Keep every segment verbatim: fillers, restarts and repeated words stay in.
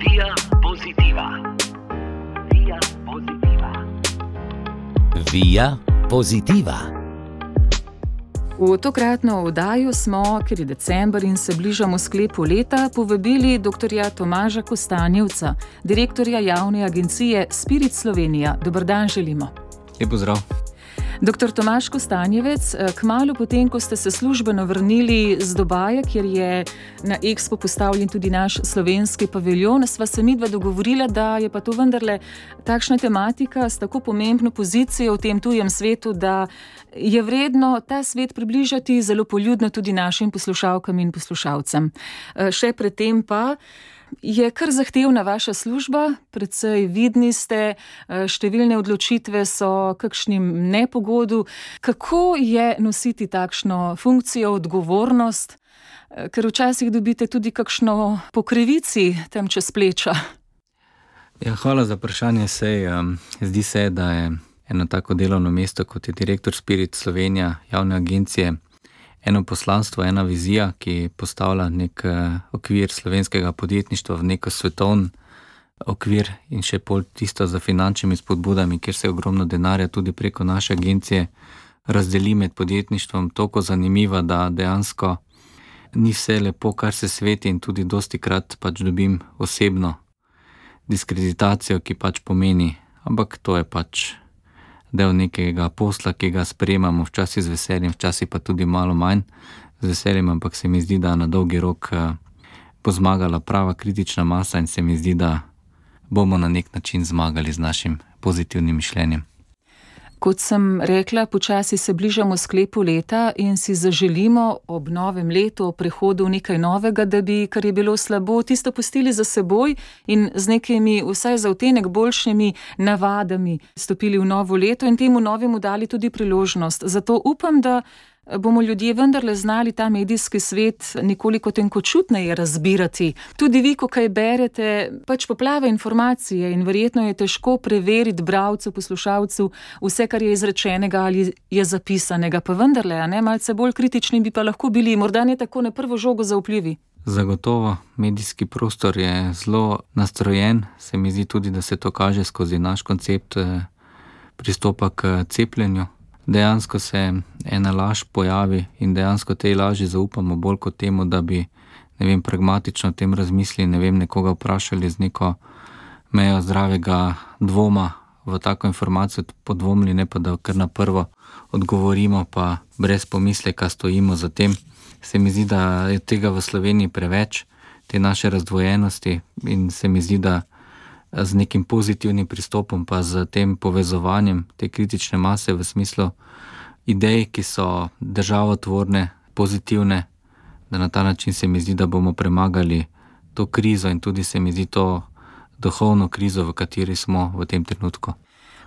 Via Positiva. Via Positiva. Via Positiva. V tokratno oddajo smo, ker je december in se bližamo sklepu leta, povabili doktorja Tomaža Kostanjevca, direktorja javne agencije Spirit Slovenija. Dober dan želimo. Lep pozdrav. Doktor Tomaž Kostanjevec, kmalu potem, ko ste se službeno vrnili z Dubaja, kjer je na Expo postavljen tudi naš slovenski paviljon, sva se midva dogovorila, da je pa to vendarle takšna tematika s tako pomembno pozicijo v tem tujem svetu, da je vredno ta svet približati zelo poljudno tudi našim poslušalkam in poslušalcem. Še predtem pa je kar zahtevna vaša služba, precej vidni ste, številne odločitve so kakšnim nepogodu. Kako je nositi takšno funkcijo, odgovornost, ker včasih dobite tudi kakšno po krivici tam čez pleča? Ja, hvala za vprašanje. Sej, um, zdi se, da je eno tako delovno mesto, kot je direktor Spirit Slovenija, javne agencije, eno poslanstvo, ena vizija, ki postavlja nek okvir slovenskega podjetništva v neko svetovni okvir in še pol tisto za finančnimi spodbudami, kjer se ogromno denarja tudi preko naše agencije razdeli med podjetništvom, toliko zanimiva, da dejansko ni vse lepo, kar se sveti, in tudi dosti krat pač dobim osebno diskreditacijo, ki pač pomeni, ampak to je pač del nekega posla, ki ga sprejemamo včasih z veseljem, včasih pa tudi malo manj z veseljem, ampak se mi zdi, da na dolgi rok bo zmagala prava kritična masa in se mi zdi, da bomo na nek način zmagali z našim pozitivnim mišljenjem. Kot sem rekla, počasi se bližamo sklepu leta in si zaželimo ob novem letu, ob prehodu v nekaj novega, da bi, kar je bilo slabo, tisto pustili za seboj in z nekimi vsaj za odtenek boljšimi navadami stopili v novo leto in temu novemu dali tudi priložnost. Zato upam, da bomo ljudje vendarle znali ta medijski svet nekoliko tenkočutneje razbirati. Tudi vi, ko kaj berete, pač poplava informacije in verjetno je težko preveriti bralcu, poslušalcu vse, kar je izrečenega ali je zapisanega, pa vendarle, a ne, malce bolj kritični bi pa lahko bili, morda ne tako na prvo žogo zaupljivi. Zagotovo, medijski prostor je zelo nastrojen, se mi zdi tudi, da se to kaže skozi naš koncept pristopa k cepljenju. Dejansko se ena laž pojavi in dejansko tej laži zaupamo bolj kot temu, da bi, ne vem, pragmatično o tem razmislili, ne vem, nekoga vprašali z neko mejo zdravega dvoma v tako informacijo podvomili, ne pa da kar na prvo odgovorimo, pa brez pomisleka stojimo za tem. Se mi zdi, da je tega v Sloveniji preveč, te naše razdvojenosti, in se mi zdi, da z nekim pozitivnim pristopom pa z tem povezovanjem te kritične mase v smislu idej, ki so državotvorne, pozitivne, da na ta način se mi zdi, da bomo premagali to krizo in tudi se mi zdi to duhovno krizo, v kateri smo v tem trenutku.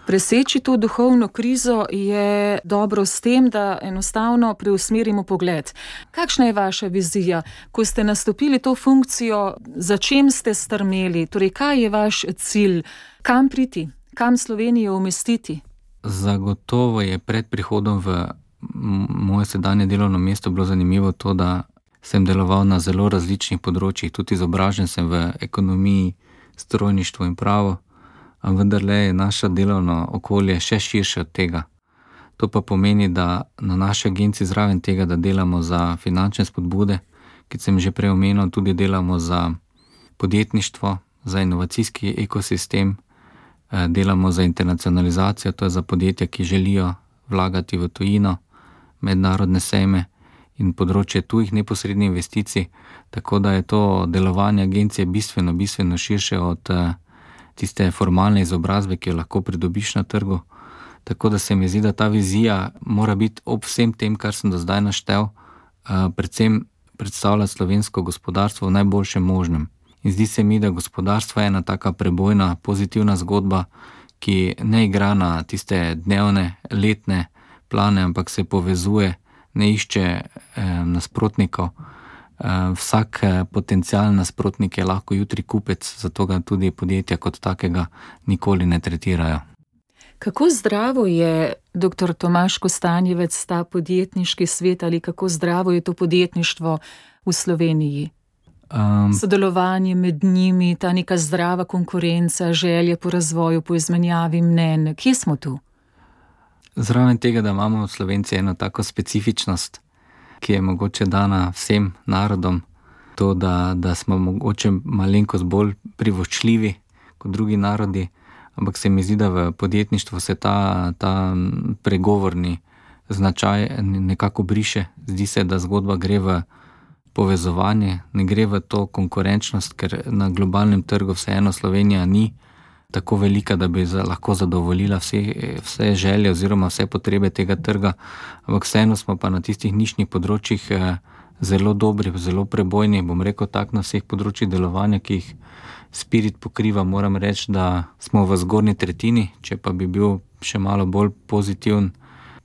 Preseči to duhovno krizo je dobro s tem, da enostavno preusmerimo pogled. Kakšna je vaša vizija, ko ste nastopili to funkcijo, za čem ste strmeli, torej kaj je vaš cilj, kam priti, kam Slovenijo umestiti? Zagotovo je pred prihodom v moje sedanje delovno mesto bilo zanimivo to, da sem deloval na zelo različnih področjih, tudi izobražen sem v ekonomiji, strojništvu in pravo, a vendarle je naše delovno okolje še širše od tega. To pa pomeni, da na naši agenciji zraven tega, da delamo za finančne spodbude, ki sem že prej omenil, tudi delamo za podjetništvo, za inovacijski ekosistem, delamo za internacionalizacijo, to je za podjetja, ki želijo vlagati v tujino, mednarodne sejme in področje tujih neposrednih investicij, tako da je to delovanje agencije bistveno, bistveno širše od tiste formalne izobrazbe, ki jo lahko pridobiš na trgu. Tako da se mi zdi, da ta vizija mora biti ob vsem tem, kar sem do zdaj naštel, predvsem predstavlja slovensko gospodarstvo v najboljšem možnem. In zdi se mi, da gospodarstvo je ena taka prebojna, pozitivna zgodba, ki ne igra na tiste dnevne, letne plane, ampak se povezuje, ne išče eh, nasprotnikov. Vsak potencialen nasprotnik je lahko jutri kupec, zato ga tudi podjetja kot takega nikoli ne tretirajo. Kako zdravo je, doktor Tomaž Kostanjevec, ta podjetniški svet ali kako zdravo je to podjetništvo v Sloveniji? Um, Sodelovanje med njimi, ta neka zdrava konkurenca, želje po razvoju, po izmenjavi mnenj. Kje smo tu? Zraven tega, da imamo Slovenci eno tako specifičnost, ki je mogoče dana vsem narodom, to, da, da smo mogoče malenkost bolj privoščljivi kot drugi narodi, ampak se mi zdi, da v podjetništvu se ta, ta pregovorni značaj nekako briše. Zdi se, da zgodba gre v povezovanje, ne gre v to konkurenčnost, ker na globalnem trgu vseeno Slovenija ni tako velika, da bi za, lahko zadovoljila vse, vse želje oziroma vse potrebe tega trga, ampak vseeno smo pa na tistih nišnih področjih eh, zelo dobri, zelo prebojni, bom rekel tako, na vseh področjih delovanja, ki jih Spirit pokriva. Moram reči, da smo v zgornji tretjini, če pa bi bil še malo bolj pozitiven,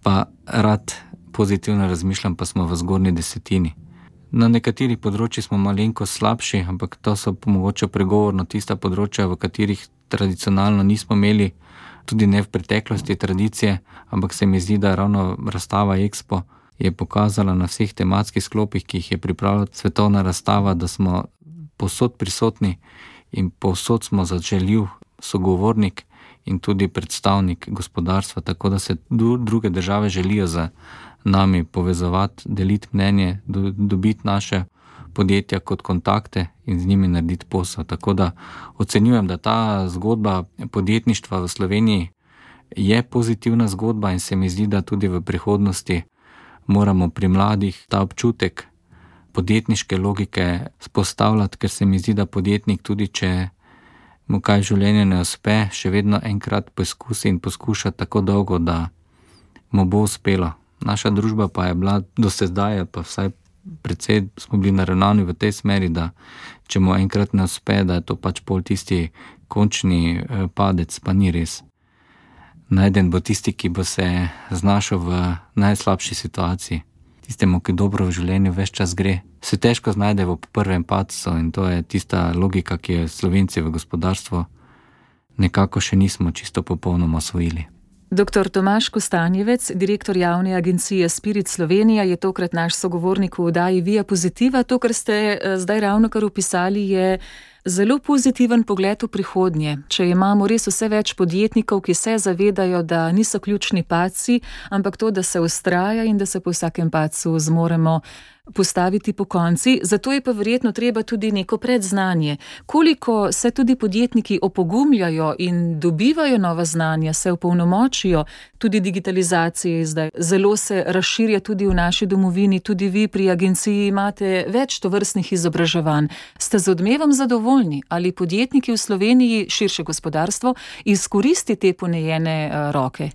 pa rad pozitivno razmišljam, pa smo v zgornji desetini. Na nekaterih področjih smo malenko slabši, ampak to so mogoče pregovorno tista področja, v katerih tradicionalno nismo imeli, tudi ne v preteklosti tradicije, ampak se mi zdi, da ravno razstava Expo je pokazala na vseh tematskih sklopih, ki jih je pripravila svetovna razstava, da smo povsod prisotni in povsod smo zaželjiv sogovornik in tudi predstavnik gospodarstva, tako da se druge države želijo z nami povezovati, deliti mnenje, do, dobiti naše podjetja kot kontakte in z njimi narediti posel. Tako da ocenjujem, da ta zgodba podjetništva v Sloveniji je pozitivna zgodba in se mi zdi, da tudi v prihodnosti moramo pri mladih ta občutek podjetniške logike spostavljati, ker se mi zdi, da podjetnik tudi, če mu kaj v življenju ne uspe, še vedno enkrat poskusi in poskuša tako dolgo, da mu bo uspelo. Naša družba pa je bila do sedaj, pa vsaj precej smo bili naravnani v tej smeri, da če mu enkrat ne uspe, da je to pač pol tisti končni padec, pa ni res. Najden bo tisti, ki bo se znašel v najslabši situaciji. Tistemu, ki dobro v življenju ves čas gre, se težko znajde v prvem padcu in to je tista logika, ki je Slovenci v gospodarstvu nekako še nismo čisto popolnoma osvojili. Doktor Tomaž Kostanjevec, direktor javne agencije Spirit Slovenija, je tokrat naš sogovornik v oddaji Via Positiva. To, kar ste zdaj ravnokar opisali, je zelo pozitiven pogled v prihodnje. Če imamo res vse več podjetnikov, ki se zavedajo, da niso ključni padci, ampak to, da se vztraja in da se po vsakem padcu zmoremo postaviti po konci. Zato je pa verjetno treba tudi neko predznanje. Koliko se tudi podjetniki opogumljajo in dobivajo nova znanja, se opolnomočijo, tudi digitalizacija je zdaj zelo se razširja tudi v naši domovini, tudi vi pri agenciji imate več tovrstnih izobraževanj. Ste z odmevom zadovoljni? Ali podjetniki v Sloveniji, širše gospodarstvo, izkoristi te ponejene uh, roke?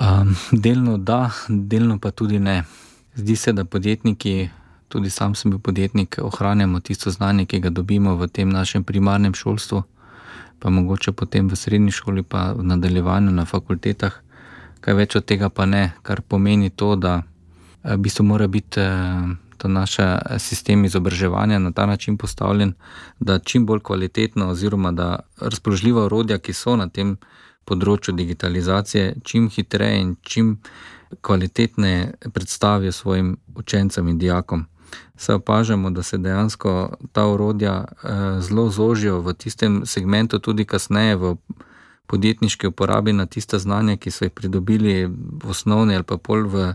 Um, delno da, delno pa tudi ne. Zdi se, da podjetniki, tudi sam sem bil podjetnik, ohranjamo tisto znanje, ki ga dobimo v tem našem primarnem šolstvu, pa mogoče potem v srednji šoli, pa v nadaljevanju na fakultetah. Kaj več od tega pa ne, kar pomeni to, da v bistvu mora biti to naš sistem izobraževanja na ta način postavljen, da čim bolj kvalitetno oziroma da razpoložljiva orodja, ki so na tem področju digitalizacije, čim hitreje in čim kvalitetne predstavijo svojim učencem in dijakom. Se opažamo, da se dejansko ta orodja eh, zelo zožijo v tistem segmentu, tudi kasneje v podjetniški uporabi na tista znanja, ki so jih pridobili v osnovni ali pa pol v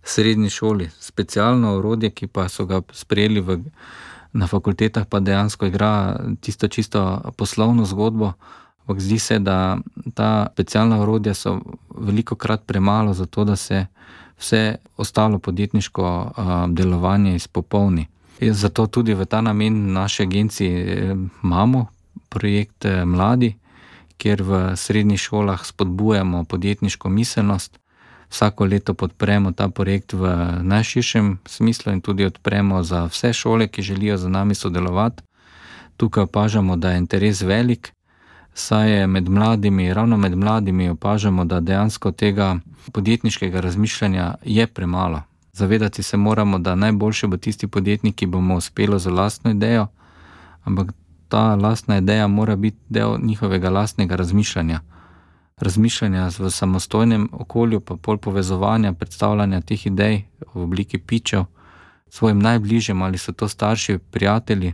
srednji šoli. Specialno orodje, ki pa so ga sprejeli v, na fakultetah, pa dejansko igra tisto čisto poslovno zgodbo. Ampak zdi se, da ta specialna orodja so veliko krat premalo za to, da se vse ostalo podjetniško uh, delovanje izpopolni. Zato tudi v ta namen naše agencije imamo projekt Mladi, kjer v srednjih šolah spodbujamo podjetniško miselnost. Vsako leto podpremo ta projekt v najširšem smislu in tudi odpremo za vse šole, ki želijo z nami sodelovati. Tukaj opažamo, da je interes velik, saj je med mladimi, ravno med mladimi opažamo, da dejansko tega podjetniškega razmišljanja je premalo. Zavedati se moramo, da najboljše bo tisti podjetnik, ki bomo uspelo za lastno idejo, ampak ta lastna ideja mora biti del njihovega lastnega razmišljanja. Razmišljanja v samostojnem okolju, pa pol povezovanja, predstavljanja teh idej v obliki pitchev, svojim najbližjim, ali so to starši, prijatelji,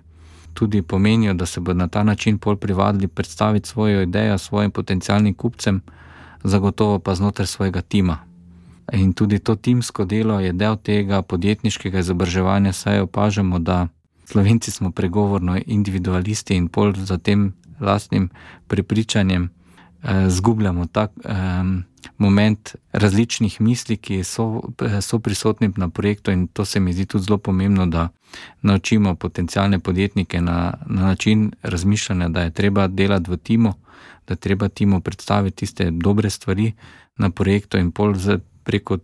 tudi pomenijo, da se bo na ta način pol privadili predstaviti svojo idejo svojim potencialnim kupcem, zagotovo pa znotraj svojega tima. In tudi to timsko delo je del tega podjetniškega izobraževanja, saj opažamo, da Slovenci smo pregovorno individualisti in pol za tem lastnim prepričanjem eh, zgubljamo tak eh, moment različnih misli, ki so, so prisotni na projektu, in to se mi zdi tudi zelo pomembno, da naučimo potencialne podjetnike na, na način razmišljanja, da je treba delati v timu, da je treba timu predstaviti tiste dobre stvari na projektu in pol preko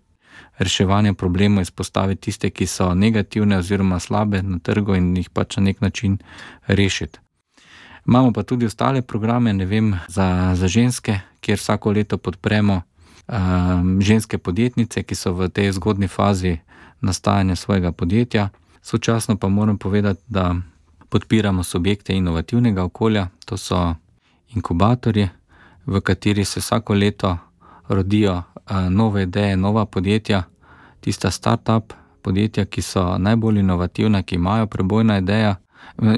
reševanja problemov izpostaviti tiste, ki so negativne oziroma slabe na trgu, in jih pač na nek način rešiti. Imamo pa tudi ostale programe, ne vem, za, za ženske, kjer vsako leto podpremo um, ženske podjetnice, ki so v tej zgodni fazi nastajanja svojega podjetja. Sočasno pa moram povedati, da podpiramo subjekte inovativnega okolja, to so inkubatorji, v kateri se vsako leto rodijo uh, nove ideje, nova podjetja, tista start-up podjetja, ki so najbolj inovativna, ki imajo prebojna ideja,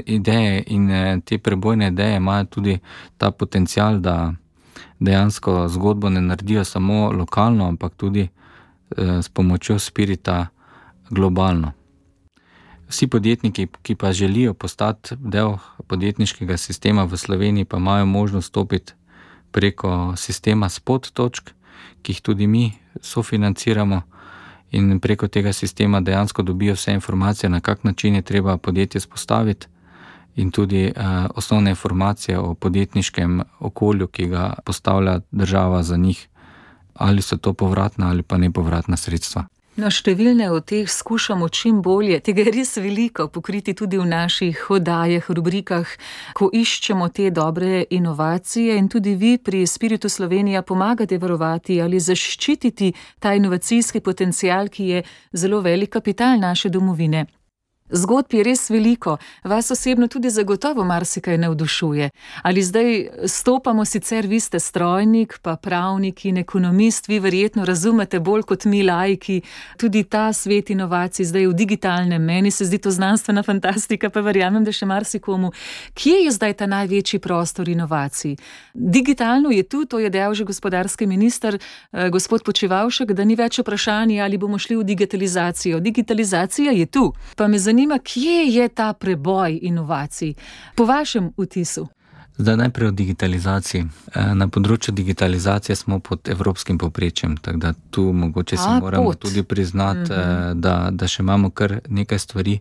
ideje in te prebojne ideje imajo tudi ta potencial, da dejansko zgodbo ne naredijo samo lokalno, ampak tudi eh, s pomočjo spirita globalno. Vsi podjetniki, ki pa želijo postati del podjetniškega sistema v Sloveniji, pa imajo možnost stopiti preko sistema spot točk, ki jih tudi mi sofinanciramo, in preko tega sistema dejansko dobijo vse informacije, na kak način je treba podjetje spostaviti, in tudi uh, osnovne informacije o podjetniškem okolju, ki ga postavlja država za njih, ali so to povratna ali pa nepovratna sredstva. No, številne od teh skušamo čim bolje, tega je res veliko pokriti tudi v naših oddajah, rubrikah, ko iščemo te dobre inovacije, in tudi vi pri Spiritu Slovenija pomagate varovati ali zaščititi ta inovacijski potencial, ki je zelo velik kapital naše domovine. Zgodb je res veliko, vas osebno tudi zagotovo marsikaj navdušuje. Ali zdaj stopamo, sicer vi ste strojnik, pa pravnik in ekonomist, vi verjetno razumete bolj kot mi laiki tudi ta svet inovacij zdaj v digitalnem. Meni se zdi to znanstvena fantastika, pa verjamem, da še marsikomu. Kje je zdaj ta največji prostor inovacij? Digitalno je tu, to je dejal že gospodarski minister, eh, gospod Počivalšek, da ni več vprašanje, ali bomo šli v digitalizacijo. Digitalizacija je tu, pa me zanima, Zanima, kje je ta preboj inovacij, po vašem vtisu? Zdaj najprej o digitalizaciji. Na področju digitalizacije smo pod evropskim povprečjem, tako da tu mogoče si A, moramo pot. tudi priznati, mm-hmm. da, da še imamo kar nekaj stvari.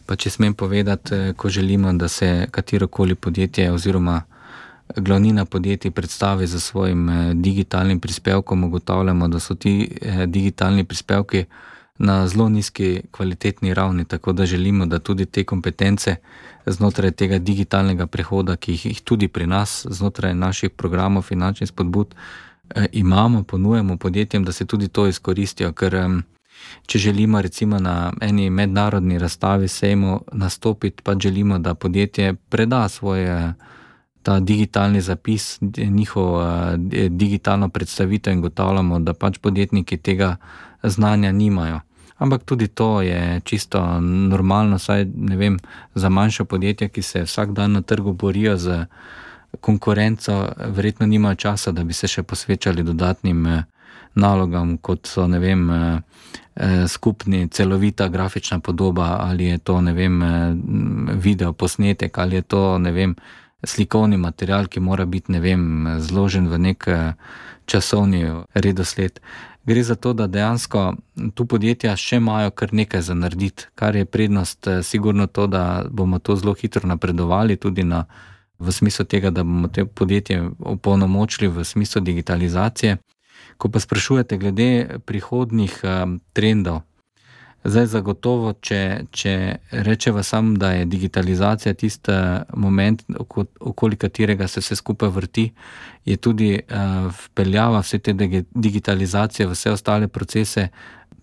Pa če smem povedati, ko želimo, da se katerokoli podjetje oziroma glavnina podjetij predstavi za svojim digitalnim prispevkom, ugotavljamo, da so ti digitalni prispevki na zelo nizki kvalitetni ravni, tako da želimo, da tudi te kompetence znotraj tega digitalnega prehoda, ki jih tudi pri nas, znotraj naših programov finančnih spodbud eh, imamo, ponujemo podjetjem, da se tudi to izkoristijo, ker eh, če želimo recimo na eni mednarodni razstavi sejmu nastopiti, pa želimo, da podjetje preda svoje ta digitalni zapis, njihov eh, digitalno predstavitev, in gotavljamo, da pač podjetniki tega znanja nimajo. Ampak tudi to je čisto normalno, saj ne vem, za manjša podjetja, ki se vsak dan na trgu borijo z konkurenco, verjetno nimajo časa, da bi se še posvečali dodatnim nalogam, kot so, ne vem, skupni celovita grafična podoba, ali je to, ne vem, video posnetek, ali je to, ne vem, slikovni material, ki mora biti, ne vem, zložen v nek časovni redosled. Gre za to, da dejansko tu podjetja še imajo kar nekaj za narediti, kar je prednost sigurno to, da bomo to zelo hitro napredovali tudi na, v smislu tega, da bomo te podjetje opolnomočili v smislu digitalizacije. Ko pa sprašujete glede prihodnjih um, trendov, zdaj zagotovo, če, če rečeva sam, da je digitalizacija tisti moment, okoli katerega se vse skupaj vrti, je tudi uh, vpeljava vse te digitalizacije v vse ostale procese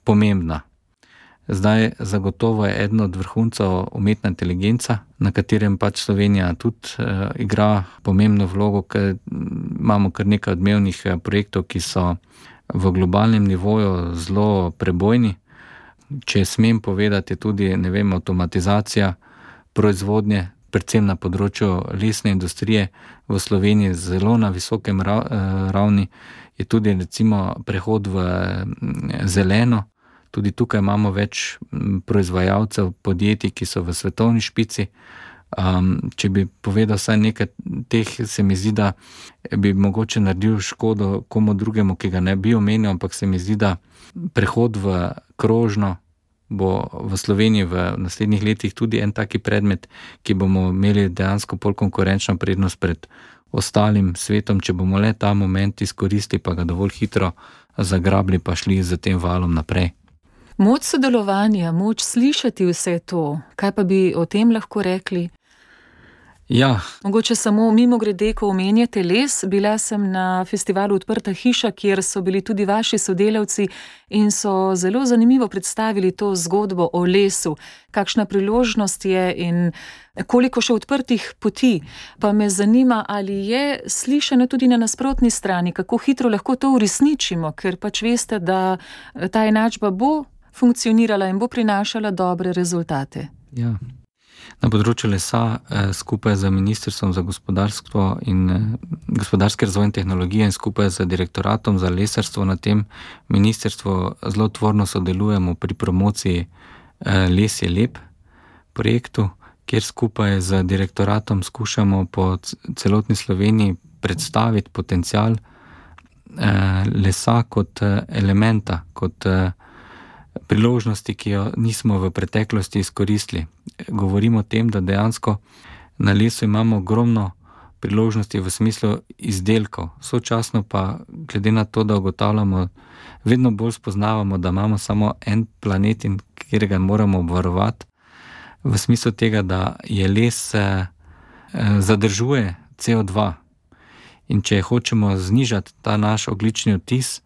pomembna. Zdaj zagotovo je eden od vrhuncev umetna inteligenca, na katerem pač Slovenija tudi uh, igra pomembno vlogo, ker imamo kar nekaj odmevnih projektov, ki so v globalnem nivoju zelo prebojni. če smem povedati, tudi, ne vem, avtomatizacija proizvodnje, predvsem na področju lesne industrije v Sloveniji zelo na visokem ravni, je tudi recimo prehod v zeleno. Tudi tukaj imamo več proizvajalcev, podjetij, ki so v svetovni špici. Um, če bi povedal vsaj nekaj teh, se mi zdi, da bi mogoče naredil škodo komu drugemu, ki ga ne bi omenil, ampak se mi zdi, da prehod v krožno bo v Sloveniji v naslednjih letih tudi en taki predmet, ki bomo imeli dejansko pol konkurenčno prednost pred ostalim svetom, če bomo le ta moment izkoristili, pa ga dovolj hitro zagrabili, pa šli z tem valom naprej. Moč sodelovanja, moč slišati vse to, kaj pa bi o tem lahko rekli? Ja. Mogoče samo mimo grede, ko omenjate les, bila sem na festivalu Odprta hiša, kjer so bili tudi vaši sodelavci in so zelo zanimivo predstavili to zgodbo o lesu, kakšna priložnost je in koliko še odprtih poti. Pa me zanima, ali je slišano tudi na nasprotni strani, kako hitro lahko to uresničimo, ker pač veste, da ta enačba bo funkcionirala in bo prinašala dobre rezultate. Ja. Na področju lesa eh, skupaj z Ministrstvom za gospodarstvo in eh, gospodarski razvoj in tehnologije in skupaj z Direktoratom za lesarstvo na tem ministrstvu zelo tvorno sodelujemo pri promociji eh, Les je lep projektu, kjer skupaj z direktoratom skušamo po celotni Sloveniji predstaviti potencial eh, lesa kot eh, elementa, kot eh, priložnosti, ki jo nismo v preteklosti izkoristili. Govorimo o tem, da dejansko na lesu imamo ogromno priložnosti v smislu izdelkov. Sočasno pa, glede na to, da ugotavljamo, vedno bolj spoznavamo, da imamo samo en planet in katerega moramo obvarovati, v smislu tega, da je les eh, zadržuje C O dva. In če hočemo znižati ta naš ogljični odtis,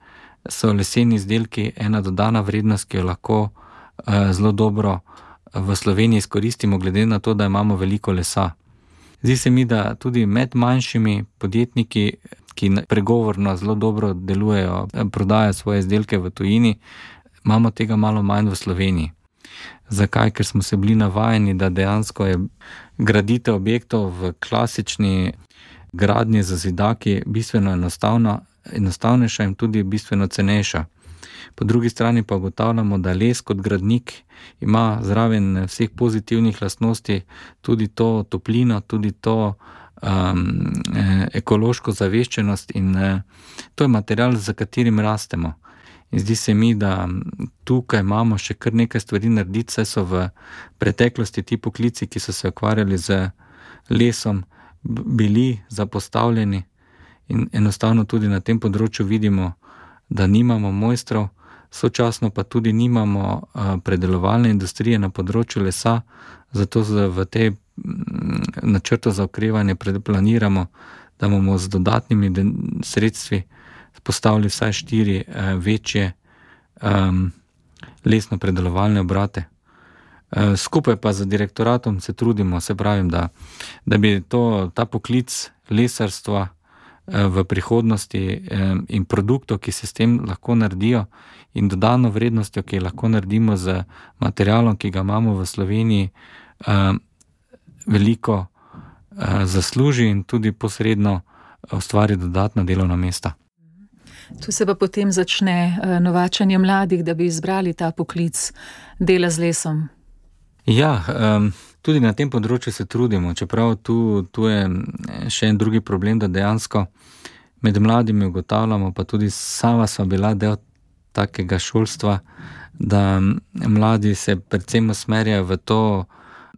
so leseni izdelki ena dodana vrednost, ki jo lahko eh, zelo dobro v Sloveniji izkoristimo, glede na to, da imamo veliko lesa. Zdi se mi, da tudi med manjšimi podjetniki, ki pregovorno zelo dobro delujejo, prodajajo svoje izdelke v tujini, imamo tega malo manj v Sloveniji. Zakaj? Ker smo se bili navajeni, da dejansko je graditev objektov v klasični gradnji z zidaki bistveno enostavna, enostavnejša in tudi bistveno cenejša. Po drugi strani pa ugotavljamo, da les kot gradnik ima zraven vseh pozitivnih lastnosti tudi to toplino, tudi to um, ekološko zaveščenost in uh, to je material, za katerim rastemo. In zdi se mi, da tukaj imamo še kar nekaj stvari narediti, saj so v preteklosti ti poklici, ki so se ukvarjali z lesom, bili zapostavljeni in enostavno tudi na tem področju vidimo, da nimamo mojstrov, sočasno pa tudi nimamo uh, predelovalne industrije na področju lesa, zato v tej načrtu za okrevanje planiramo, da bomo z dodatnimi sredstvi postavili vsaj štiri uh, večje um, lesno-predelovalne obrate. Uh, skupaj pa z direktoratom se trudimo, se pravim, da, da bi to, ta poklic lesarstva uh, v prihodnosti um, in produktov, ki se s tem lahko naredijo in dodano vrednostjo, ki lahko naredimo z materialom, ki ga imamo v Sloveniji, uh, veliko uh, zasluži in tudi posredno ustvari dodatna delovna mesta. Tu se pa potem začne novačanje mladih, da bi izbrali ta poklic dela z lesom. Ja, um, tudi na tem področju se trudimo, čeprav tu, tu je še en drugi problem, da dejansko med mladimi ugotavljamo, pa tudi sama sva bila del takega šolstva, da mladi se predvsem usmerjajo v to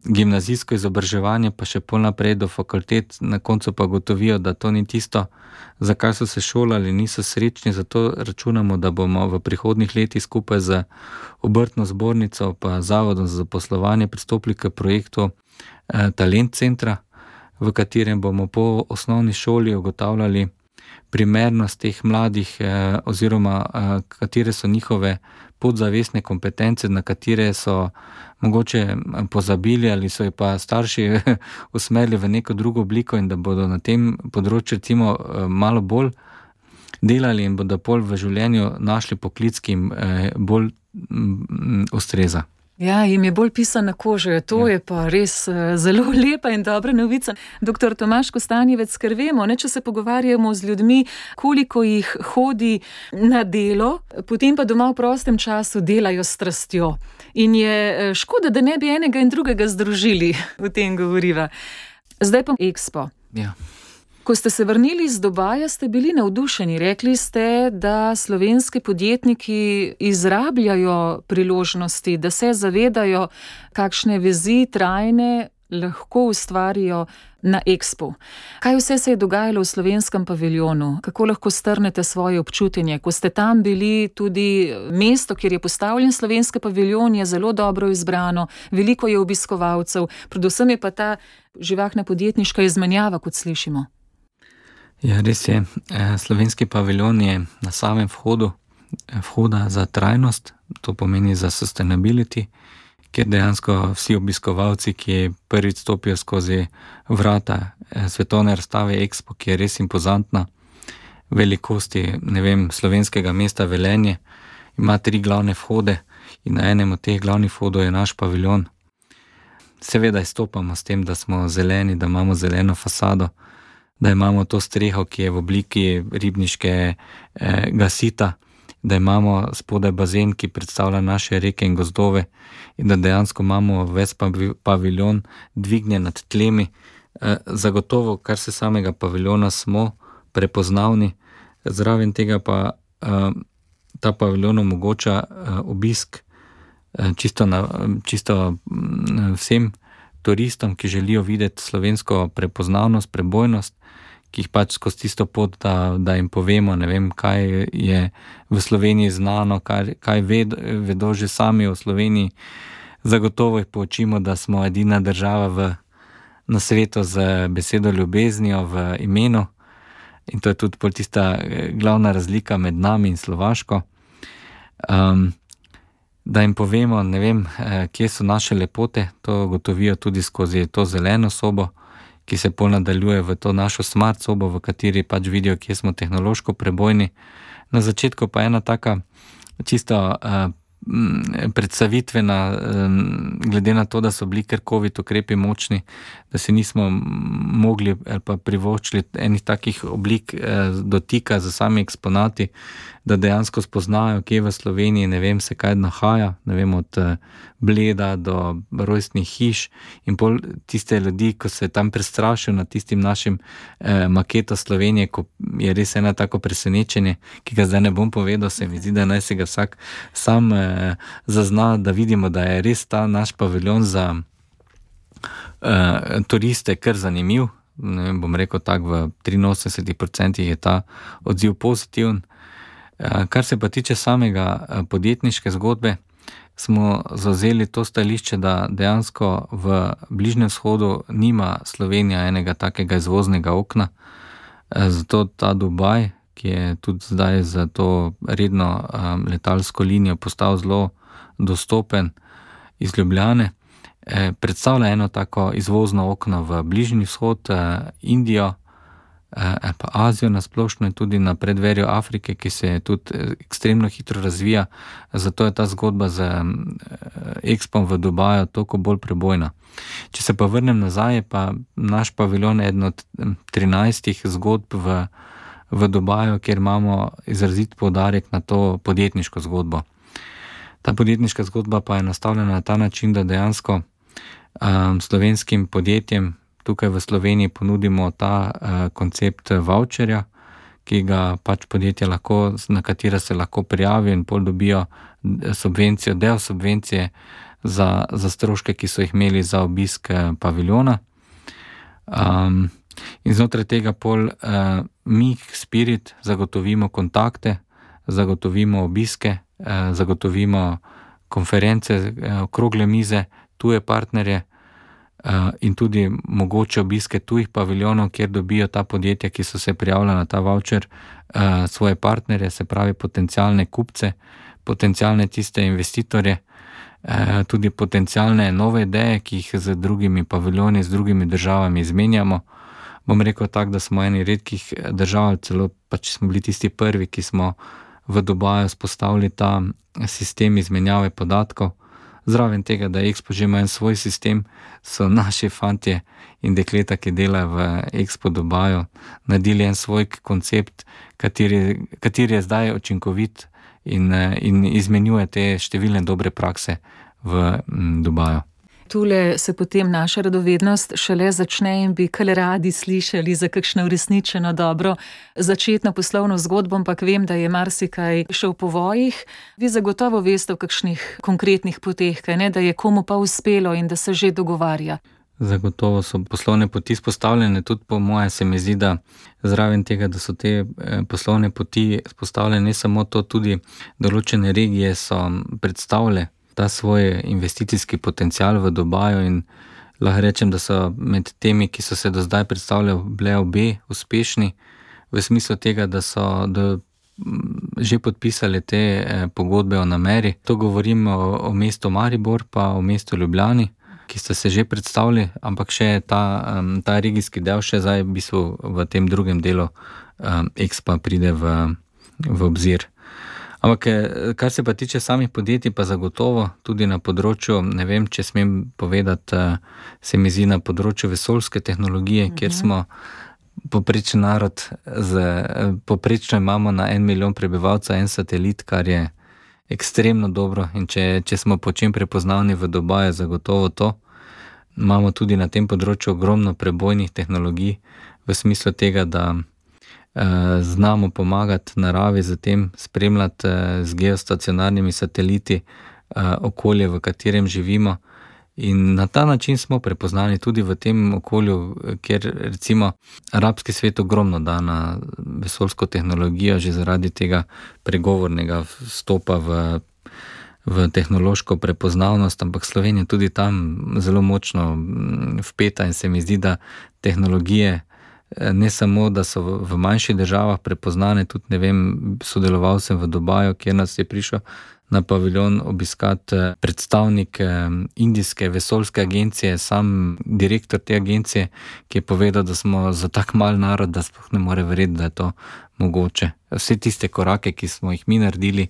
gimnazijsko izobraževanje, pa še pol naprej do fakultet, na koncu pa gotovijo, da to ni tisto, za kar so se šolali, niso srečni, zato računamo, da bomo v prihodnjih letih skupaj z obrtno zbornico pa Zavodom za zaposlovanje pristopili k projektu eh, Talent centra, v katerem bomo po osnovni šoli ugotavljali primernost teh mladih eh, oziroma eh, katere so njihove podzavestne kompetence, na katere so mogoče pozabili ali so jih pa starši usmerili v neko drugo obliko in da bodo na tem področju recimo malo bolj delali in bodo pol v življenju našli poklic, ki jim bolj m, ustreza. Ja, jim je bolj pisan na kožo, to Ja. je pa res uh, zelo lepa in dobra novica. Doktor Tomaž Kostanjevec, ker vemo, ne, če se pogovarjamo z ljudmi, koliko jih hodi na delo, potem pa doma v prostem času delajo s strastjo. In je eh, škoda, da ne bi enega in drugega združili, o tem govoriva. Zdaj pa Expo. Ja. Ko ste se vrnili z Dubaja, ste bili navdušeni. Rekli ste, da slovenski podjetniki izrabljajo priložnosti, da se zavedajo, kakšne vezi trajne lahko ustvarijo na Expu. Kaj vse se je dogajalo v slovenskem paviljonu? Kako lahko strnete svoje občutenje? Ko ste tam bili, tudi mesto, kjer je postavljen slovenski paviljon, je zelo dobro izbrano, veliko je obiskovalcev, predvsem je pa ta živahna podjetniška izmenjava, kot slišimo. Ja, res je. Slovenski paviljon je na samem vhodu, vhoda za trajnost, to pomeni za sustainability, kjer dejansko vsi obiskovalci, ki prvič stopijo skozi vrata svetovne razstave Expo, ki je res impozantna, velikosti, ne vem, slovenskega mesta Velenje, ima tri glavne vhode in na enem od teh glavnih vhodov je naš paviljon. Seveda izstopamo s tem, da smo zeleni, da imamo zeleno fasado, da imamo to streho, ki je v obliki ribniškega sita, da imamo spodaj bazen, ki predstavlja naše reke in gozdove in da dejansko imamo ves paviljon dvignjen nad tlemi. Zagotovo, kar se samega paviljona smo prepoznavni, zraven tega pa ta paviljon omogoča obisk čisto, na, čisto vsem turistom, ki želijo videti slovensko prepoznavnost, prebojnost, ki jih pač skozi tisto pot, da, da jim povemo, ne vem, kaj je v Sloveniji znano, kaj, kaj ved, vedo že sami o Sloveniji. Zagotovo jih poučimo, da smo edina država v, na svetu z besedo ljubeznijo v imenu in to je tudi pol tista glavna razlika med nami in Slovaško. Um, da jim povemo, ne vem, kje so naše lepote, to gotovijo tudi skozi to zeleno sobo, ki se pol nadaljuje v to našo smart sobo, v kateri pač vidijo, kje smo tehnološko prebojni. Na začetku pa ena taka čisto uh, predstavitvena, um, glede na to, da so bili kar covid ukrepi močni, da si nismo mogli ali pa privoščili enih takih oblik uh, dotika za sami eksponati, da dejansko spoznajo, kje v Sloveniji, ne vem, se kaj nahaja, ne vem, od uh, Bleda do rojstnih hiš in pol tiste ljudi, ko se tam prestrašijo nad tistim našim eh, maketo Slovenije, ko je res ena tako presenečenje, ki ga zdaj ne bom povedal, se mi zdi, da naj se ga vsak sam eh, zazna, da vidimo, da je res ta naš paviljon za eh, turiste kar zanimiv. Ne vem, bom rekel tako, v triinosemdeset procent je ta odziv pozitiven. Eh, kar se pa tiče samega eh, podjetniške zgodbe, smo zavzeli to stališče, da dejansko v Bližnjem vzhodu nima Slovenija enega takega izvoznega okna. Zato ta Dubaj, ki je tudi zdaj za to redno um, letalsko linijo postal zelo dostopen iz Ljubljane, eh, predstavlja eno tako izvozno okno v Bližnji vzhod, eh, Indijo, ali pa Azijo nasplošno in tudi na predverju Afrike, ki se tudi ekstremno hitro razvija, zato je ta zgodba z Expom v Dubaju toliko bolj prebojna. Če se pa vrnem nazaj, pa naš paviljon je eden od trinajstih zgodb v, v Dubaju, kjer imamo izrazit poudarek na to podjetniško zgodbo. Ta podjetniška zgodba pa je nastavljena na ta način, da dejansko um, slovenskim podjetjem tukaj v Sloveniji ponudimo ta uh, koncept voucherja, ki ga pač podjetja lahko, na katera se lahko prijavijo in pol dobijo subvencijo, del subvencije za, za stroške, ki so jih imeli za obisk paviljona. Um, in znotraj tega pol uh, mi, Spirit, zagotovimo kontakte, zagotovimo obiske, uh, zagotovimo konference, uh, okrogle mize, tuje partnerje, in tudi mogoče obiske tujih paviljonov, kjer dobijo ta podjetja, ki so se prijavila na ta voucher, svoje partnerje, se pravi potencialne kupce, potencialne tiste investitorje, tudi potencialne nove ideje, ki jih z drugimi paviljoni, z drugimi državami izmenjamo. Bom rekel tako, da smo eni redkih držav, celo pač smo bili tisti prvi, ki smo v Dubaju spostavili ta sistem izmenjave podatkov. Zraven tega, da Expo že ima en svoj sistem, so naši fantje in dekleta, ki delajo v Expo Dubaju, naredili en svoj koncept, kateri, kateri je zdaj učinkovit in, in izmenjuje te številne dobre prakse v Dubaju. Tule se potem naša radovednost šele začne in bi kar radi slišali za kakšno uresničeno dobro začetno poslovno zgodbo, ampak vem, da je marsikaj še v povojih. Vi zagotovo veste o kakšnih konkretnih poteh, kaj ne, da je komu pa uspelo in da se že dogovarja. Zagotovo so poslovne poti spostavljene, tudi po moje se mi zdi, da zraven tega, da so te poslovne poti spostavljene, ne samo to, tudi določene regije so predstavile ta svoj investicijski potencial v Dubaju in lahko rečem, da so med temi, ki so se do zdaj predstavljali, bile obe uspešni v smislu tega, da so do, že podpisali te pogodbe o nameri. To govorim o, o mestu Maribor pa o mestu Ljubljani, ki sta se že predstavili, ampak še ta, ta regijski del še zdaj v bistvu v tem drugem delu um, Expa pride v, v obzir. Ampak, kar se pa tiče samih podjetij, pa zagotovo tudi na področju, ne vem, če smem povedati, se mi zdi na področju vesoljske tehnologije, mm-hmm. kjer smo poprečen narod, z, poprečno imamo na en milijon prebivalcev en satelit, kar je ekstremno dobro in če, če smo po čem prepoznavni v Dubaju, zagotovo to. Imamo tudi na tem področju ogromno prebojnih tehnologij v smislu tega, da znamo pomagati naravi z tem, spremljati z geostacionarnimi sateliti okolje, v katerem živimo in na ta način smo prepoznani tudi v tem okolju, kjer recimo arabski svet ogromno da na vesoljsko tehnologijo že zaradi tega pregovornega vstopa v, v tehnološko prepoznavnost, ampak Slovenija tudi tam zelo močno vpeta in se mi zdi, da tehnologije ne samo, da so v manjših državah prepoznane, tudi ne vem, sodeloval sem v Dubaju, kjer nas je prišel na paviljon obiskati predstavnik indijske vesoljske agencije, sam direktor te agencije, ki je povedal, da smo za tak mal narod, da sploh ne more verjeti, da je to mogoče. Vse tiste korake, ki smo jih mi naredili,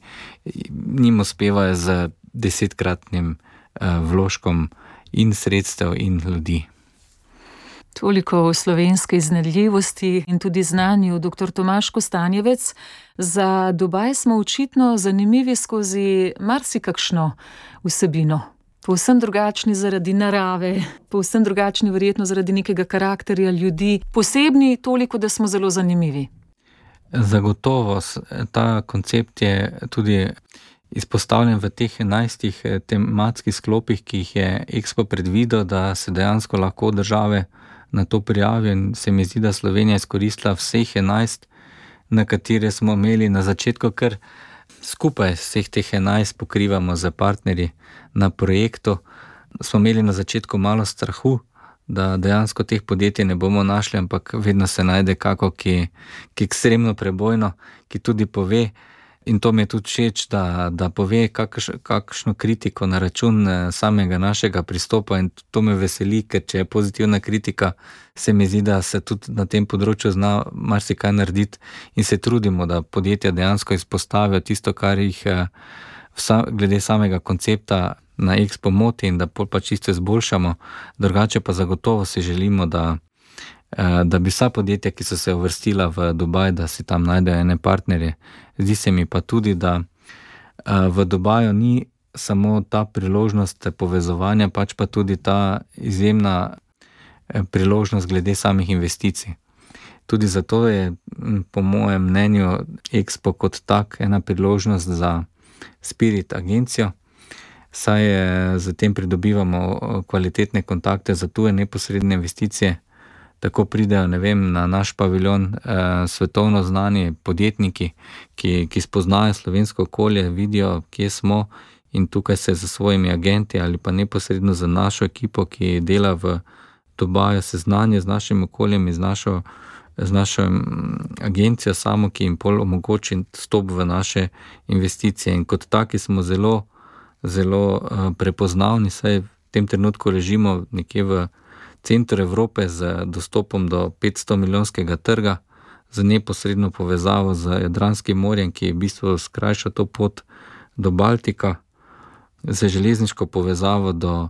njim uspevajo z desetkratnim vložkom in sredstev in ljudi. Toliko o slovenske iznajdljivosti in tudi znanju. Doktor Tomaž Kostanjevec, za Dubaj smo očitno zanimivi skozi marsikakšno vsebino. Povsem drugačni zaradi narave, povsem drugačni verjetno zaradi nekega karakterja ljudi, posebni toliko, da smo zelo zanimivi. Zagotovo, ta koncept je tudi izpostavljen v teh enajstih tematskih sklopih, ki jih je Expo predvidel, da se dejansko lahko države na to prijavijo in se mi zdi, da Slovenija izkoristila vseh enajst, na katere smo imeli na začetku, ker skupaj vseh teh enajst pokrivamo za partnerji na projektu. Smo imeli na začetku malo strahu, da dejansko teh podjetij ne bomo našli, ampak vedno se najde kako, ki, ki ekstremno prebojno, ki tudi pove, in to mi je tudi všeč, da, da pove kakš, kakšno kritiko na račun samega našega pristopa in to me veseli, ker če je pozitivna kritika, se mi zdi, da se tudi na tem področju zna marsikaj narediti in se trudimo, da podjetja dejansko izpostavijo tisto, kar jih vsa, glede samega koncepta na Expo moti in da pol pa čisto izboljšamo. Drugače pa zagotovo si želimo, da da bi vsa podjetja, ki so se uvrstila v Dubaj, da si tam najdejo ene partnerje. Zdi se mi pa tudi, da v Dubaju ni samo ta priložnost povezovanja, pač pa tudi ta izjemna priložnost glede samih investicij. Tudi zato je po mojem mnenju Expo kot tak ena priložnost za Spirit agencijo, saj z tem pridobivamo kvalitetne kontakte za tuje neposredne investicije. Tako pridejo, ne vem, na naš paviljon eh, svetovno znani podjetniki, ki, ki spoznajo slovensko okolje, vidijo, kje smo in tukaj se za svojimi agenti ali pa neposredno za našo ekipo, ki dela v Dubaju, seznanje z našim okoljem in z našo, z našo agencijo samo, ki jim pol omogoči vstop v naše investicije. In kot taki smo zelo, zelo eh, prepoznavni, saj v tem trenutku ležimo nekje v centru Evrope z dostopom do petsto milijonskega trga z neposredno povezavo z Jadranskim morjem, ki je v bistvu skrajša to pot do Baltika, z železniško povezavo do,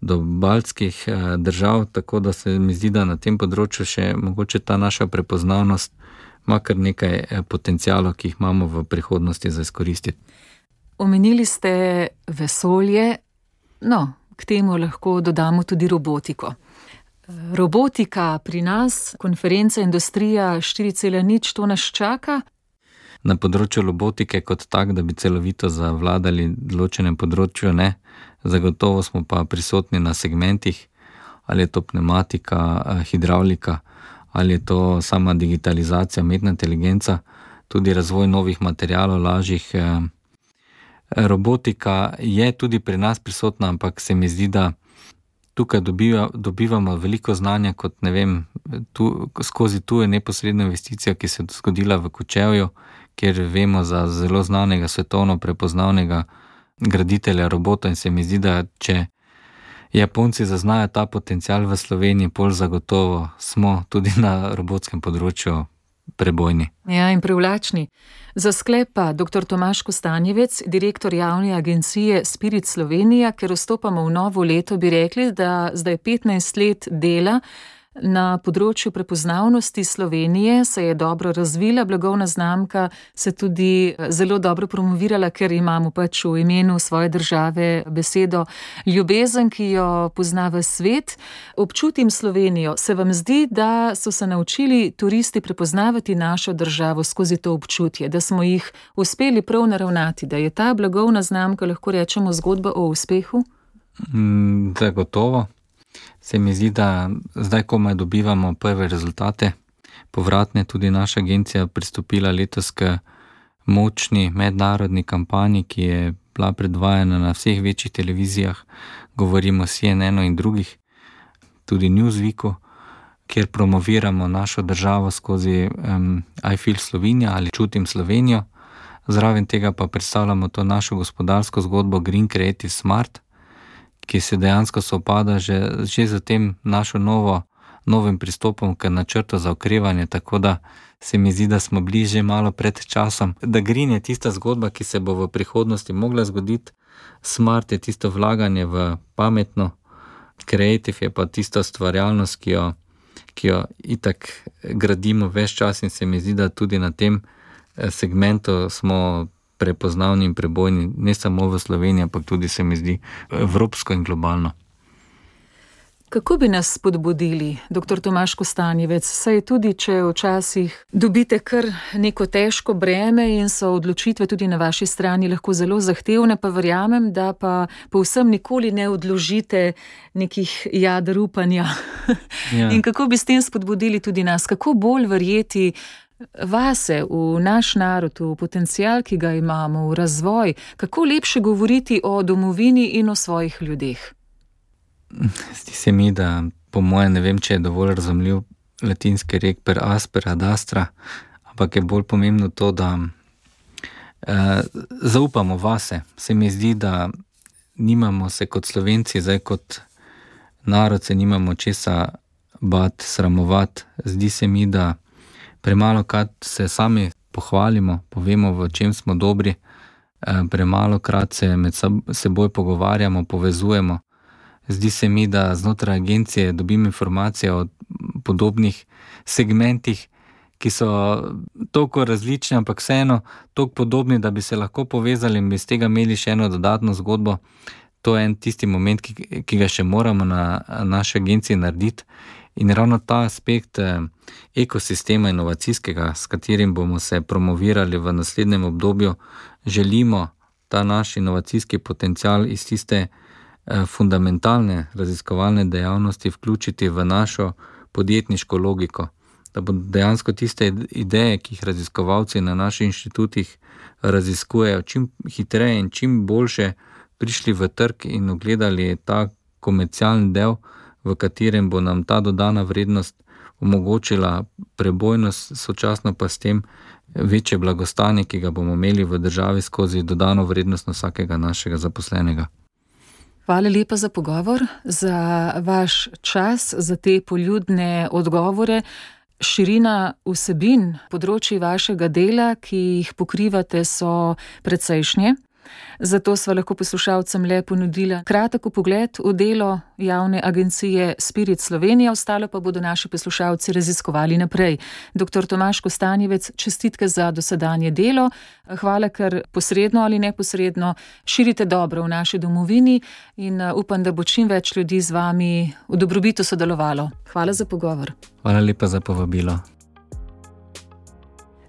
do baltskih eh, držav, tako da se mi zdi, da na tem področju še mogoče ta naša prepoznavnost ima kar nekaj eh, potencialov, ki jih imamo v prihodnosti za izkoristiti. Omenili ste vesolje, no, k temu lahko dodamo tudi robotiko. Robotika pri nas, konferenca Industrija štiri cela nič, to nas čaka? Na področju robotike kot tak, da bi celovito zavladali določenem področju, ne. Zagotovo smo pa prisotni na segmentih, ali je to pneumatika, hidravlika, ali je to sama digitalizacija, umetna inteligenca, tudi razvoj novih materialov, lažjih. Robotika je tudi pri nas prisotna, ampak se mi zdi, da tukaj dobiva, dobivamo veliko znanja kot, ne vem, tu, skozi tuje neposredno investicijo, ki se je zgodila v Kočevju, kjer vemo za zelo znanega, svetovno prepoznavnega graditelja robota in se mi zdi, da če Japonci zaznajo ta potencial v Sloveniji, pol zagotovo smo tudi na robotskem področju prebojni. Ja, in privlačni. Za sklep pa doktor Tomaž Kostanjevec, direktor javne agencije Spirit Slovenija, ker vstopamo v novo leto, bi rekli, da zdaj petnajst let dela na področju prepoznavnosti Slovenije se je dobro razvila, blagovna znamka se tudi zelo dobro promovirala, ker imamo pač v imenu svoje države besedo ljubezen, ki jo pozna v svet. Občutim Slovenijo. Se vam zdi, da so se naučili turisti prepoznavati našo državo skozi to občutje, da smo jih uspeli prav naravnati, da je ta blagovna znamka, lahko rečemo, zgodba o uspehu? Mm, zagotovo. Se mi zdi, da zdaj komaj dobivamo prve rezultate. Povratne tudi naša agencija pristopila letos k močni mednarodni kampanji, ki je bila predvajana na vseh večjih televizijah, govorimo o C N N-u in drugih, tudi Newsweeku, kjer promoviramo našo državo skozi um, I Feel Slovenija ali Čutim Slovenijo. Zraven tega pa predstavljamo to našo gospodarsko zgodbo Green Creative Smart, ki se dejansko sovpada že, že za tem našo novo, novim pristopom k načrtu za okrevanje, tako da se mi zdi, da smo bili že malo pred časom. Da Green je tista zgodba, ki se bo v prihodnosti mogla zgoditi, Smart je tisto vlaganje v pametno, Creative je pa tista stvarjalnost, ki jo, ki jo itak gradimo ves čas in se mi zdi, da tudi na tem segmentu smo prepoznavni in prebojni, ne samo v Sloveniji, ampak tudi se mi zdi evropsko in globalno. Kako bi nas spodbudili, doktor Tomaž Kostanjevec, saj tudi, če včasih dobite kar neko težko breme in so odločitve tudi na vaši strani lahko zelo zahtevne, pa verjamem, da pa povsem nikoli ne odložite nekih jader upanja. Ja. In kako bi s tem spodbudili tudi nas? Kako bolj verjeti vase, v naš narod, v potencial, ki ga imamo, v razvoj? Kako lepše govoriti o domovini in o svojih ljudeh? Zdi se mi, da po mojem, ne vem, če je dovolj razumljiv latinski rek per aspera ad astra, ampak je bolj pomembno to, da eh, zaupamo vase. Se mi zdi, da nimamo se kot Slovenci, zdaj kot narod se nimamo česa bat, sramovat. Zdi se mi, da premalo krat se sami pohvalimo, povemo, v čem smo dobri, premalo krat se med seboj pogovarjamo, povezujemo. Zdi se mi, da znotraj agencije dobim informacije o podobnih segmentih, ki so toliko različni, ampak vseeno toliko podobni, da bi se lahko povezali in bi z tega imeli še eno dodatno zgodbo. To je en tisti moment, ki, ki ga še moramo na naši agenciji narediti. In ravno ta aspekt ekosistema inovacijskega, s katerim bomo se promovirali v naslednjem obdobju, želimo ta naš inovacijski potencial iz tiste fundamentalne raziskovalne dejavnosti vključiti v našo podjetniško logiko. Da bodo dejansko tiste ideje, ki jih raziskovalci na naših inštitutih raziskujejo, čim hitreje in čim boljše prišli v trg in ogledali ta komercialni del, v katerem bo nam ta dodana vrednost omogočila prebojnost, sočasno pa s tem večje blagostanje, ki ga bomo imeli v državi skozi dodano vrednost na vsakega našega zaposlenega. Hvala lepa za pogovor, za vaš čas, za te poljudne odgovore. Širina vsebin področji vašega dela, ki jih pokrivate, so precejšnje. Zato sva lahko poslušalcem le ponudila kratek vpogled v delo javne agencije Spirit Slovenija, ostalo pa bodo naši poslušalci raziskovali naprej. Doktor Tomaž Kostanjevec, čestitke za dosedanje delo. Hvala, ker posredno ali neposredno širite dobro v naši domovini in upam, da bo čim več ljudi z vami v dobrobitu sodelovalo. Hvala za pogovor. Hvala lepa za povabilo.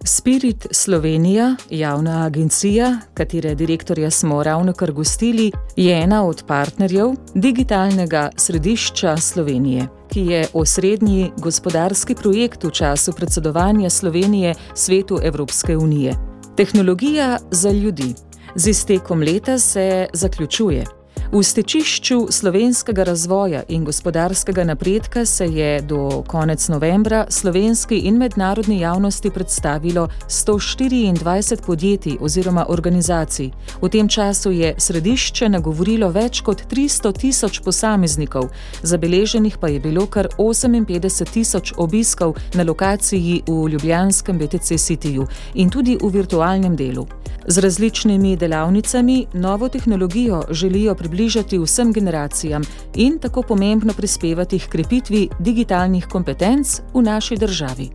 Spirit Slovenija, javna agencija, katere direktorja smo ravnokar gostili, je ena od partnerjev Digitalnega središča Slovenije, ki je osrednji gospodarski projekt v času predsedovanja Slovenije Svetu Evropske unije. Tehnologija za ljudi z iztekom leta se zaključuje. V stečišču slovenskega razvoja in gospodarskega napredka se je do konec novembra slovenski in mednarodni javnosti predstavilo sto štiriindvajset podjetij oziroma organizacij. V tem času je središče nagovorilo več kot tristo tisoč posameznikov, zabeleženih pa je bilo kar oseminpetdeset tisoč obiskov na lokaciji v ljubljanskem B T C Cityju in tudi v virtualnem delu. Z različnimi delavnicami novo tehnologijo želijo približati vsem generacijam in tako pomembno prispevati h krepitvi digitalnih kompetenc v naši državi.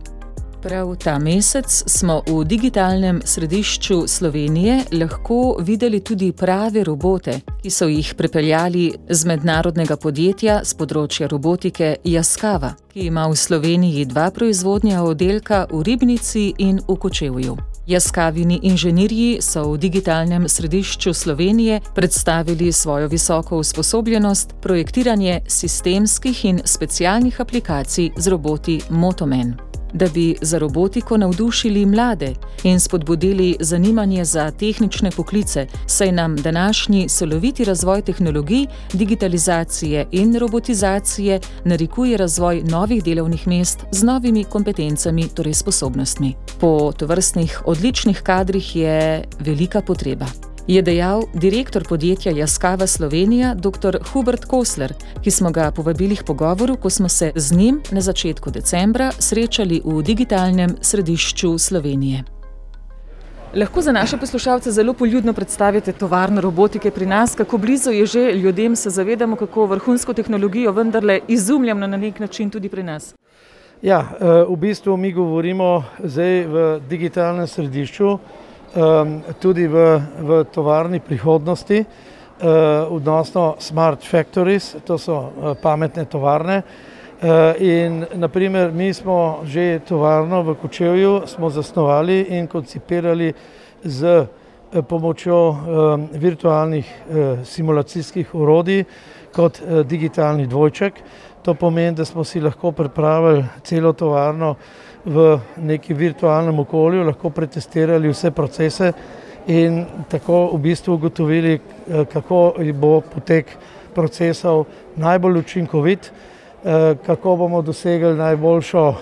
Prav ta mesec smo v Digitalnem središču Slovenije lahko videli tudi prave robote, ki so jih pripeljali z mednarodnega podjetja z področja robotike Yaskawa, ki ima v Sloveniji dva proizvodnja oddelka v Ribnici in v Kočevju. Yaskawini inženirji so v Digitalnem središču Slovenije predstavili svojo visoko usposobljenost projektiranje sistemskih in specialnih aplikacij z roboti Motomen. Da bi za robotiko navdušili mlade in spodbudili zanimanje za tehnične poklice, saj nam današnji celoviti razvoj tehnologij, digitalizacije in robotizacije narikuje razvoj novih delovnih mest z novimi kompetencami, torej sposobnostmi. Po tovrstnih odličnih kadrih je velika potreba, je dejal direktor podjetja Yaskawa Slovenija dr. Hubert Kosler, ki smo ga povabili k pogovoru, ko smo se z njim na začetku decembra srečali v Digitalnem središču Slovenije. Lahko za naše poslušalce zelo poljudno predstavite tovarno robotike pri nas, kako blizu je že ljudem, se zavedamo, kako vrhunsko tehnologijo vendarle izumljamo na nek način tudi pri nas. Ja, v bistvu mi govorimo zdaj v Digitalnem središču, tudi v, v tovarni prihodnosti, odnosno smart factories, to so pametne tovarne. In naprimer mi smo že tovarno v Kočevju smo zasnovali in koncipirali z pomočjo virtualnih simulacijskih orodij kot digitalni dvojček. To pomeni, da smo si lahko pripravili celo tovarno v neki virtualnem okolju, lahko pretestirali vse procese in tako v bistvu ugotovili, kako bo potek procesov najbolj učinkovit, kako bomo dosegli najboljšo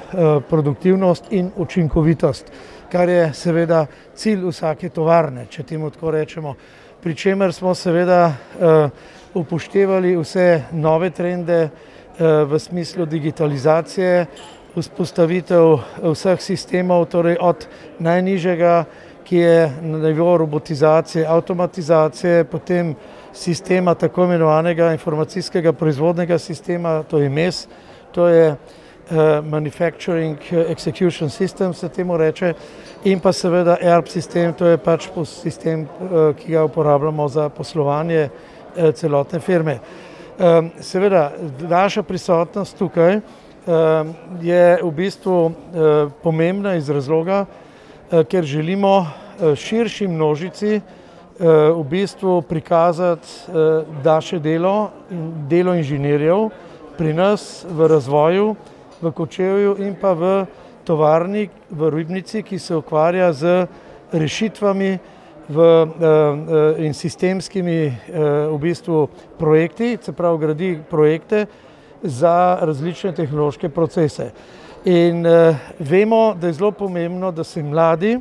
produktivnost in učinkovitost, kar je seveda cilj vsake tovarne, če temu tako rečemo. Pri čemer smo seveda upoštevali vse nove trende v smislu digitalizacije, vzpostavitev vseh sistemov, torej od najnižjega, ki je na nivoju robotizacije, avtomatizacije, potem sistema tako imenovanega informacijskega proizvodnega sistema, to je M E S, to je Manufacturing Execution System, se temu reče, in pa seveda E R P sistem, to je pač sistem, ki ga uporabljamo za poslovanje celotne firme. Seveda, naša prisotnost tukaj je v bistvu pomembna iz razloga, ker želimo širši množici v bistvu prikazati naše delo in delo inženirjev pri nas v razvoju, v Kočevju in pa v tovarni v Ribnici, ki se ukvarja z rešitvami v, in sistemskimi v bistvu projekti, se pravi gradi projekte za različne tehnološke procese. In uh, vemo, da je zelo pomembno, da se mladi,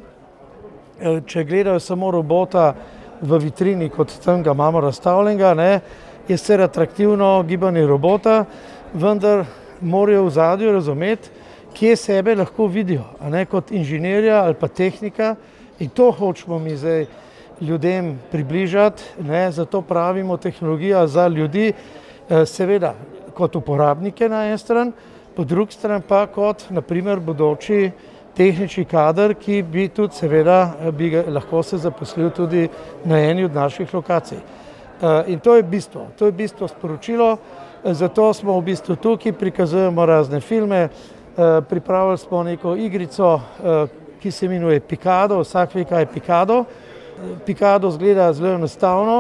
če gledajo samo robota v vitrini, kot tam ga imamo razstavljenega, ne, je sicer atraktivno gibanje robota, vendar morajo v zadju razumeti, kje sebe lahko vidijo, a ne kot inženirja ali pa tehnika, in to hočemo mi zdaj ljudem približati, ne, zato pravimo tehnologija za ljudi, seveda kot uporabnike na en stran, po drugi stran pa kot naprimer bodoči tehnični kader, ki bi tudi seveda bi ga, lahko se zaposlil tudi na eni od naših lokacij. In to je bistvo, to je bistvo sporočilo, zato smo v bistvu tukaj, prikazujemo razne filme, pripravili smo neko igrico, ki se imenuje Pikado, vsak ve, kaj je Pikado. Pikado izgleda zelo enostavno,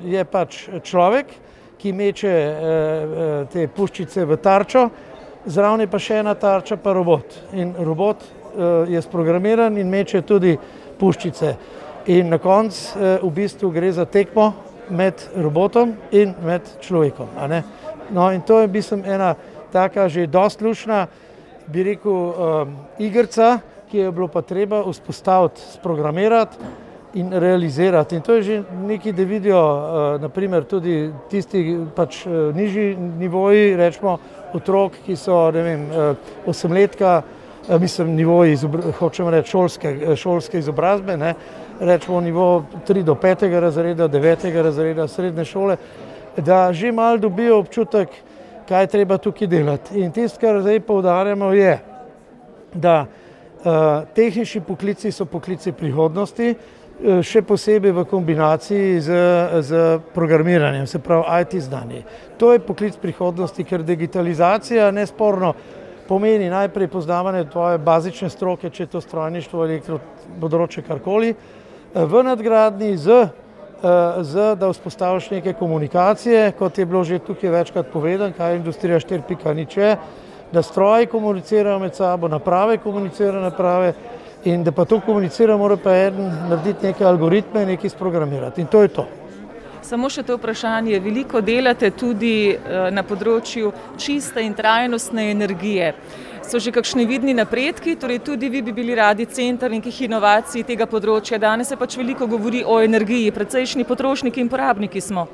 je pač človek, ki meče te puščice v tarčo, zraven je pa še ena tarča, pa robot. In robot je sprogramiran in meče tudi puščice. In na koncu v bistvu gre za tekmo med robotom in med človekom. A ne? No, in to je v bistvu ena taka že dosti lušna, bi rekel, um, igrica, ki je bilo pa treba vzpostaviti, sprogramirati in realizirati. In to je že nekaj, da vidijo uh, naprimer tudi tisti pač uh, nižji nivoji, rečemo otrok, ki so, ne vem, uh, osemletka, uh, mislim, nivoji, hočemo reči, šolske, šolske izobrazbe, ne, rečemo nivo tri do petega razreda, devetega razreda srednje šole, da že malo dobijo občutek, kaj treba tukaj delati. In tisto, kar zdaj poudarjamo, je, da uh, tehnični poklici so poklici prihodnosti, uh, še posebej v kombinaciji z, z programiranjem, se pravi I T znanje. To je poklic prihodnosti, ker digitalizacija nesporno pomeni najprej poznavanje tvoje bazične stroke, če je to strojništvo, elektro, področje, karkoli, v nadgradnji z Z, da vzpostaviš neke komunikacije, kot je bilo že tukaj večkrat povedano, kaj je industrija štiri pika nič je, da stroji komunicirajo med sabo, naprave komunicirajo naprave in da pa to komunicira, mora pa eden narediti neke algoritme, nekaj sprogramirati in to je to. Samo še to vprašanje, veliko delate tudi na področju čiste in trajnostne energije. So že kakšni vidni napredki, torej tudi vi bi bili radi center nekih inovacij tega področja. Danes se pač veliko govori o energiji, precejšnji potrošniki in porabniki smo.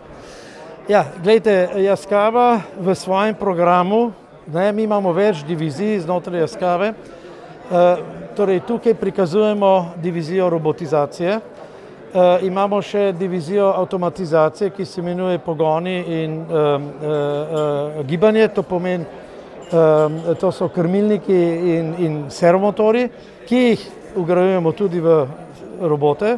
Ja, glejte, Yaskawa v svojem programu, ne, mi imamo več divizij znotraj Yaskawe, e, torej tukaj prikazujemo divizijo robotizacije, e, imamo še divizijo avtomatizacije, ki se imenuje pogoni in e, e, e, gibanje, to pomeni, Uh, to so krmilniki in, in servomotori, ki jih vgrajujemo tudi v robote.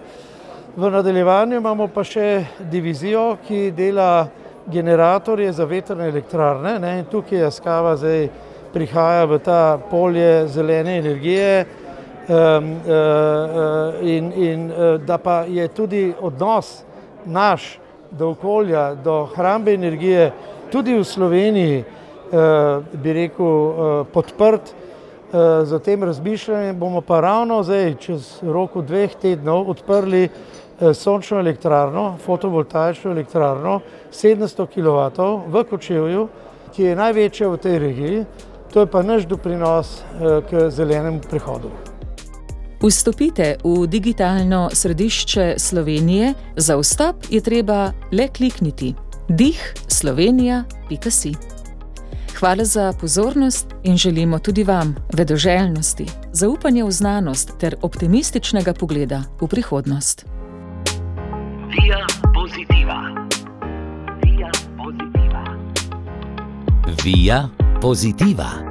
V nadaljevanju imamo pa še divizijo, ki dela generatorje za vetrne elektrarne, ne? In tukaj Yaskawa zdaj prihaja v ta polje zelene energije um, uh, in, in uh, da pa je tudi odnos naš do okolja, do hrambe energije tudi v Sloveniji, Uh, bi rekel, uh, podprt uh, za tem razmišljanjem, bomo pa ravno zdaj, čez roku dveh tednov, odprli uh, sončno elektrarno, fotovoltaično elektrarno, sedemsto kilovatov v Kočevju, ki je največja v tej regiji. To je pa naš doprinos uh, k zelenemu prehodu. Vstopite v digitalno središče Slovenije, za vstop je treba le klikniti dih slovenija pika si. Hvala za pozornost in želimo tudi vam vedoželjnosti, zaupanja v znanost ter optimističnega pogleda v prihodnost. Via Positiva. Via Positiva. Via Positiva.